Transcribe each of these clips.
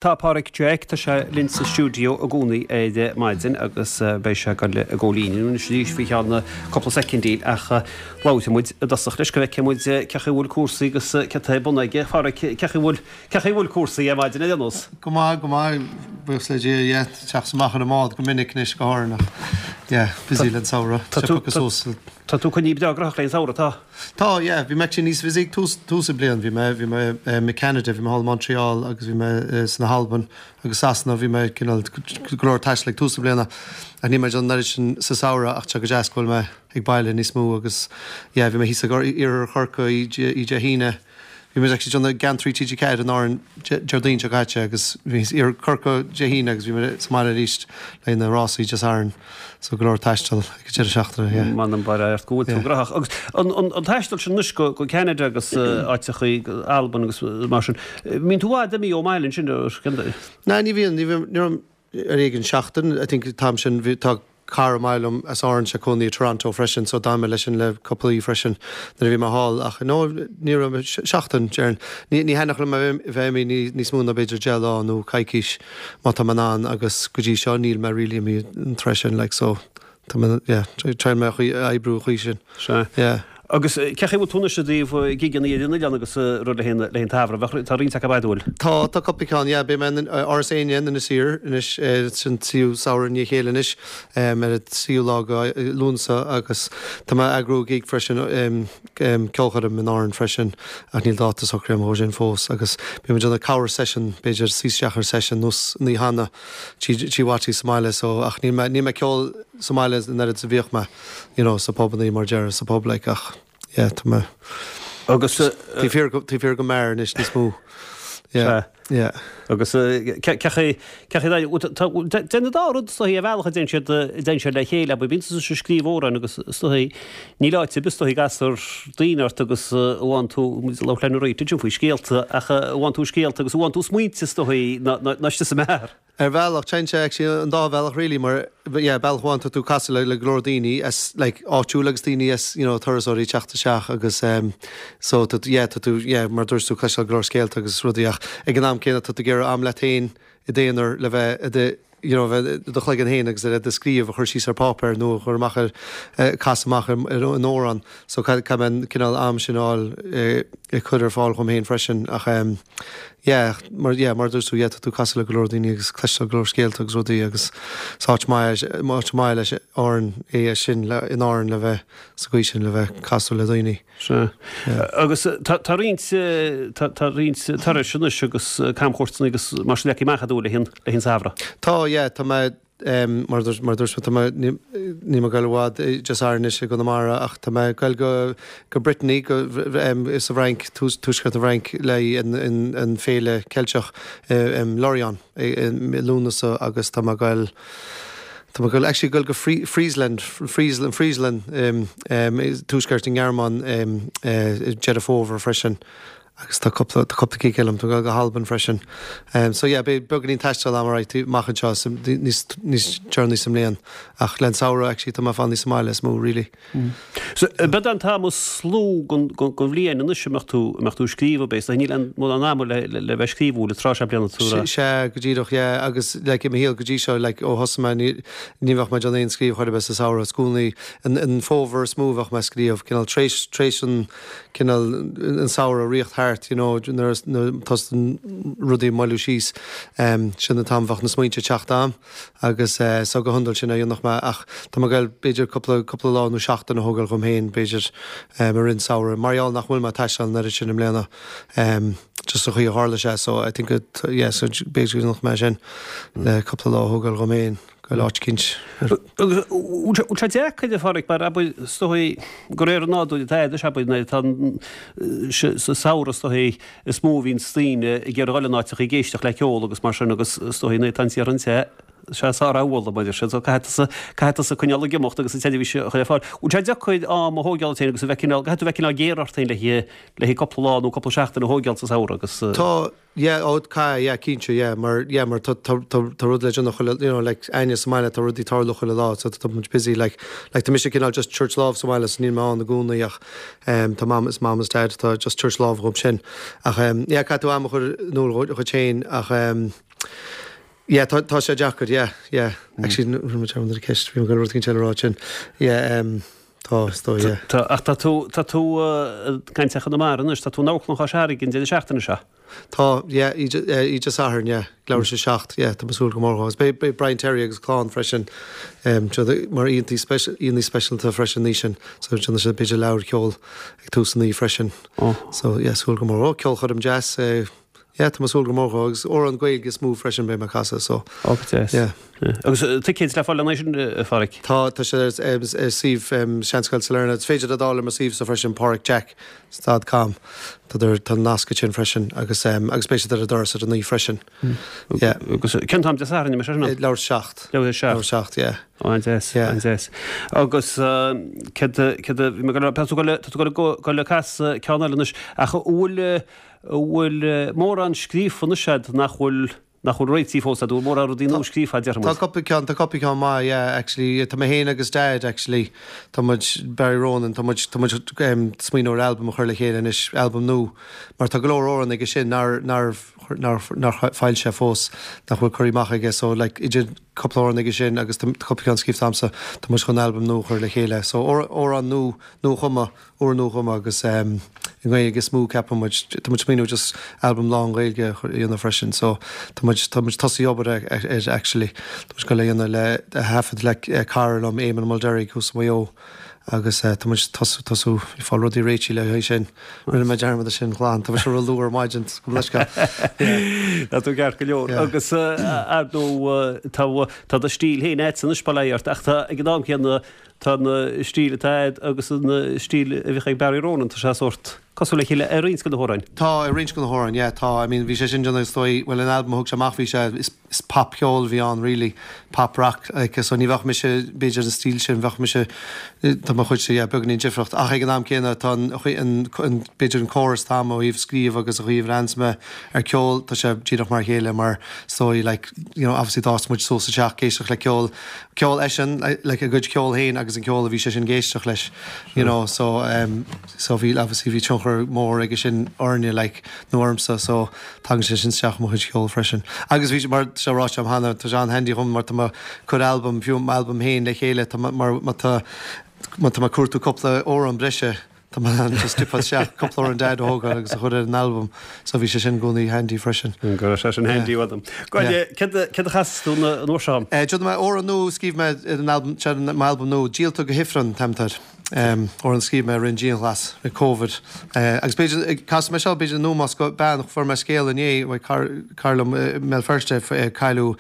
Tá Páraic Jeaic, tá sé linn sa stiúideo i gcónaí ar maidin agus beidh sé ag dul i gcomhlíonadh anois arís faoi cheann cúpla soicindí ach labhróidh muid i dtosach leis go bhfeicfidh muid cé chaoi a bhfuil cúrsaí agus céard atá ar bun aige. A Pháraic, cé chaoi a bhfuil, cé chaoi a bhfuil cúrsaí ar maidin ar aon nós? Go maith, go maith, buíochas le Dia, yeah, teacht amach ar an mbád go minic anois go háirithe ach yeah, busy le an samhradh, Tá tú, tá tú coinnithe breá gnóthach le an samhradh, tá? Tá, yeah. Bhí mé actually níos busy ag tús, tús an bliain. Bhí mé, bhí mé i Canada, bhí mé thall i Montreal agus bhí mé sna hAlbain agus Sasana. Bhí mé cineál go leor taistil ag tús na bliana ach níl mé ag déanamh an oiread sin sa samhradh ach tá sé go deas go bhfuil mé ag baile níos mó agus yeah, bhí mé thíos ag iarthar Chorcaí oíche Dé hAoine. Bhí muid actually ag déanamh Geantraí TG4 in Árainn Déardaoin seo caite agus bhí thíos iarthar Chorcaí Dé hAoine agus bhí muid sa mbaile arís le na rásaí Dé Sathairn so go leor taistil ag an deireadh seachtaine, yeah. M'anam bail ort go bhfuil tú gnóthach. Agus an taisteal sin anois go Ceanada agus áiteachaí, Albain agus mar sin, mbíonn tú i bhfad imithe ón mbaile ansin ar scéal? Ná ní bhíonn, ní bhíonn, ní raibh ar éigean seachtain, I think an t-am sin, bhí, tá cara maith liom as Árainn sé cónaí i Toronto freisin so d'fhan mé leis sin le cúpla oíche freisin nuair a bhí mé thall ach no ní raibh mé seachtain déarfainn. Ní ní thaitneodh liom a bheith imithe níos mó ná b'fhéidir 10 lá nó coicís má tá mé in ann agus go dtí seo níl mé really imithe an tráth sin like so tá mé yeah triail mé a oibriú an chaoi sin. Sea. Yeah. Agus cé chaoi a bhfuil tú anois i dtaobh gigeanna ar an oileán agus rud le haghaidh an tsamhraidh? Bheadh, tá roinnt acu an bhfuil? Tá, tá cúpla ceann, yeah. Beidh mé in Áras Éinne in Inis Oírr anois, sin tríú samhradh i ndiaidh a chéile anois, ar an tríú lá de Lúnasa agus tá mé ag eagrú gig freisin, ceolchoirm in Árainn freisin ach níl dáta socraithe agam dhó sin fós agus beidh muid ag déanamh corr session, b'fhéidir suí isteach ar session nós an oíche cheana, Tigh Wattie sa mbaile so ach níl mé, níl mé ag ceol sa mbaile an oiread is a bhíodh mé. you know, sa bpubannaí mar déarfá, sa bpub like ach yeah, tá mé Agus taobh thiar go, taobh thiar den mbeár anois níos mó. Yeah, yeah. Agus cé chaoi, cé chaoi, déanann an dá rud is dóichí ar bhealach a dtéann siad, a dtéann siad le chéile, abair, bíonn tusa ag scríobh amhráin agus is dóichí níl áit ar bith is dóichí a gcastar daoine ort agus a bhfaigheann tú, muid ag labhairt le Rita ansin faoi scéalta ach a bhfaigheann tú scéalta agus a bhfaigheann tú smaointe is dóichí ná, ná, ná istigh sa mbeár. Ar bhealach, téann sé actually an dá bhealach really mar yeah bealach amháin tá tú ag casadh le le go leor daoine as like áitiúil agus daoine as you know turasóirí ag teacht isteach agus em so tá yeah tá tú yeah mar dúirt tú cloisteáil go leor scéalta agus rudaí ach ag an am céanna tá tú ag iarraidh am leat féin i d'aonar le bheith i do you know bheith i do chloigeann féin agus le do scríobh a chur síos ar páipéar nó a chur amach ar eh casadh amach ar ar an amhrán so caithfidh mé an cineál am sin a fháil eh ag cur ar fáil dhom féin freisin ach em yeah mar yeah mar a dúirt tú yeah tá tú ag casadh le go leor daoine agus cloisteáil go leor scéalta agus rudaí agus is áit maith áit maith leis Árainn é sin le in Árainn le bheith sa gcaoi sin le bheith ag casadh le daoine. Sea. Yeah. Agus tá tá roinnt tá tá roinnt turais anois agus camchuairteanna agus mar sin leagtha amach agat le haghaidh an samhradh. Tá yeah tá mé Mar a dúirt mé, tá mé, níl mé ag goil i bhfad Dé Sathairn anois i gConamara ach tá mé ag goil go go Brittany, go sa bhFrainc, tuaisceart na bhFrainc le haghaidh an féile Ceilteach i Lorient i Lúnasa agus tá mé ag goil, tá mé ag goil, actually ag goil go Friesland, Friesland, Friesland, tuaisceart na nGearmáin i Deireadh Fómhair freisin. Agus tá cúpla, tá cúpla gig eile agam, tá mé ag goil go hAlbain freisin. So yeah, beidh beagáinín taistil agam alright, amach anseo sa, níos, níos deireanaí sa mbliain. Ach len samhradh actually tá mé ag fanacht sa mbaile is mó really. So, b'é an t-am is lú den, den, den bhliain anois a mbeadh tú, a mbeadh tú ag scríobh ab é? So níl aon mórán ama le, le, le bheith ag scríobh an tráth seo bliana tú rá. Sea, go díreach, yeah, agus like i mo shaol go dtí seo, like ó thosaigh mé ní, ní bheadh mé ag déanamh aon scríobh chor ar bith sa samhradh, is i gcónaí an, an fómhar is mó a bheadh mé ag scríobh, cineál tar éis, tar éis an, cineál an samhradh ag rith thart, you know, nuair a tosaíonn rudaí ag moilliú síos, sin an t-am a bheadh na smaointe ag teacht a'm agus so go hiondúil sin a dhéanfadh mé ach tá mé ag goil b'fhéidir cúpla, cúpla lá nó seachtain a thógáil dhom féin b'fhéidir i rith an samhradh mar gheall nach bhfuil mé ag taisteal an oiread sin i mbliana just an chaoi a tharla sé so I think it, yeah, so b'fhéidir go ndéanfadh mé sin le cúpla lá a thógáil dhom féin. Go áit eicínt. Agus bhfuil sé deacair a Pháraic mar abair is dóigh de réir an nádúir atá air abair nuair atá sa samhradh is dóigh is mó a bhíonns daoine ag iarraidh dhul in áiteacha ag éisteacht le ceol agus mar sin agus is dóigh nuair atá an tír an-te sé sár-amhlaidh mar sin so caithfidh tusa caithfidh tusa coinneáil ag imeacht agus an tseirbhís a chur ar fáil. Bhfuil sé deacair am a thógáil duit féin agus a bheith cineál caithfidh tú bheith cineál géar ort féin le le haghaidh cúpla lá nó cúpla seachtain a thógáil sa samhradh agus Tá Yeah, oh, caithfidh, yeah, cinnte, yeah, mar, yeah, mar tá, tá, tá, tá rud le déanamh chuile, you know, like, againne sa mbaile, tá rudaí ag tarlú chuile lá, so tá muid busy, like, like, tá mise cineál just tabhairt lámh sa bhaile, so níl mé ann i gcónaí ach, em, tá mam is mam is dad atá just tabhairt lámh dhom sin. Ach, em, yeah, caithfidh tú am a chur in iúl dhuit féin ach, em. Yeah, tá, tá sé deacair, yeah, yeah. Actually, rinne mé dearmad ar an cheist, bhí mé ag goil rud éicint eile a rá ansin. Yeah, um, tá, is dóigh, yeah. Tá, ach tá tú, tá tú ag caint ar Chonamara anois, tá tú in Amharclann Chois Fharraige an deireadh seachtaine seo. Tá, yeah, oíche, oíche Sathairn, yeah, ag leathuair tar éis a 7, yeah, tá mé ag súil go mór dhó. Agus beidh, beidh Brian Terry agus a chlann freisin, um, mar aíonna aíonna speisialta freisin an oíche sin, so déanfaidh siad b'fhéidir leathuair ceoil ag tús an oíche freisin. Oh. So, yeah, súil go mór. Oh, ceolchoirm deas, eh, Yeah, tá mé ag súil go mór dhó agus amhrán Gaeilge is mó freisin beidh mé ag casadh so. Ó, go deas. Yeah. Agus ticéid le fáil lena aghaidh sin, a Pháraic? Tá, tá sé ar suíomh Seanscoil Sailearna. Is féidir iad a fháil ar mo suíomhsa freisin, páraicjack dot com. Tá tá nasc ansin freisin agus agus beidh siad ar an doras ar an oíche freisin. Yeah. Agus cén t-am Dé Sathairn, an é sin? Leathuair tar éis 7. Leathuair tar éis 7. Leathuair tar éis 7, yeah. Ó, an-deas, Yeah. an-deas. Agus céard céard a bhí mé ag goil a rá, tá tú ag goil tá tú ag goil ag goil ag casadh ceann eile anois ach an bhfuil An bhfuil mórán scríofa anois a'd nach bhfuil, nach bhfuil réitithe fós a'd? An bhfuil mórán rudaí nua scríofa a'd, déarfaidh Tá muid? cúpla ceann, tá cúpla ceann maith, yeah, actually. Tá mé féin agus Dad, actually, tá muid, Barry Ronan, tá muid, tá muid ag smaoineamh ar albam a chur le chéile anois, albam nua, mar tá go leor amhrán aige sin nár, nár, nár, nár foilsithe fós, nach bhfuil curtha amach aige, so like idir cúpla amhrán aige sin agus tá cúpla ceann scríofa a'msa, tá muid chun albam nua a chur le chéile. So amhrán nua, nua-chumtha. úr-nuachumtha agus i nGaeilge is mó ceapann muid. Tá muid ag smaoineamh just albam lán-Ghaeilge a dhéanamh freisin so tá muid, tá muid tosaithe obair air actually. Tá muid ag goil a dhéanamh le, a thaifead le cara liom, Éamon Mulderrig thuas i Maigh Eo agus tá muid tosú, tosú ag fáil rudaí réitithe le haghaidh sin. Rinne mé dearmad de sin glan, tá mise ró-luath ar maidin, gabh mo leithscéal. Tá tú ceart go leor. Agus ar ndóigh tá, tá do stíl féin a'dsa anois bail ó Dhia ort ach tá ag an am céanna Tá an stíl atá a'd agus an stíl a bhíodh ag Barry Ronan, tá sé sórt cosúil le chéile ar roinnt de na hamhráin. Tá, ar roinnt de na hamhráin, yeah, tá. I mean, bhí sé sin déanamh is dóigh, bhuel, an albam a thug sé amach, bhí sé, is, is popcheol a bhí ann really, pop rock, like, so ní bheadh mise, b'fhéidir an stíl sin, bheadh mise, tá mo chuidse, yeah, beagáinín difriúil, ach ag an am céanna tá an, an, an, b'fhéidir an córas atá a'm ó thaobh scríobh agus ó thaobh leananns mé ar ceol, tá sé díreach mar a chéile mar is dóigh, like, you know, obviously d'fhás muid suas sa teach ag éisteacht le ceol, ceol eisean, like a gcuid ceol féin agus an ceol a bhí seisean ag éisteacht leis, you know, so um so bhí obviously bhí tionchar mór aige sin orainne like nó ormsa so tagann sé sin isteach i mo chuid ceoil freisin. Agus bhí mar tá sé ráite agam cheana, tá sé an-handy dhom mar tá mé ag cur albam, fiú m'albam féin le chéile, tá mar má tá má tá mé ag cuartú cúpla amhrán breise, Tá mé in ann just stipeáil isteach cúpla amhrán Dad a thógáil agus a chur ar an albam so bhí sé sin i gcónaí handy freisin. Go raibh sé sin handy uaim. Go, céard a chasfas tú an uair seo? Déanfaidh mé amhrán nua a scríobh mé ar an albam, seo m'albam nua, Díolta go hIfreann an t-ainm atá air. Amhrán a scríobh mé roimh an dianghlas, roimh Covid. Agus b'fhéidir, casfaidh mé seo b'fhéidir nó más bean, fuair mé scéal inné, cara liom i mBéal Feirste, cailleadh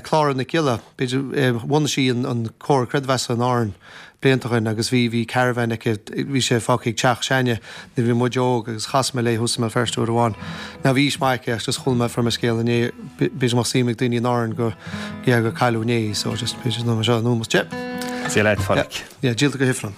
Clára Nic Giolla, b'fhéidir, bhunaigh sí an Comhar Creidmheasa in Árainn. blianta ó shin agus bhí, bhí caravan aici, bhí sé fágtha ag teach s'againne nuair a bhí muid óg agus chas mé léi thuas i mBéal Feirste uair amháin. Now bhí aois maith aici ach just chuala mé, fuair mé scéal inné, b'fhéidir go mbeadh suim ag daoine in Árainn go, yeah, gur cailleadh inné í so just b'fhéidir nó seo nó yeah. Sea leat, a Pháraic. Yeah, yeah, díolta go hIfreann.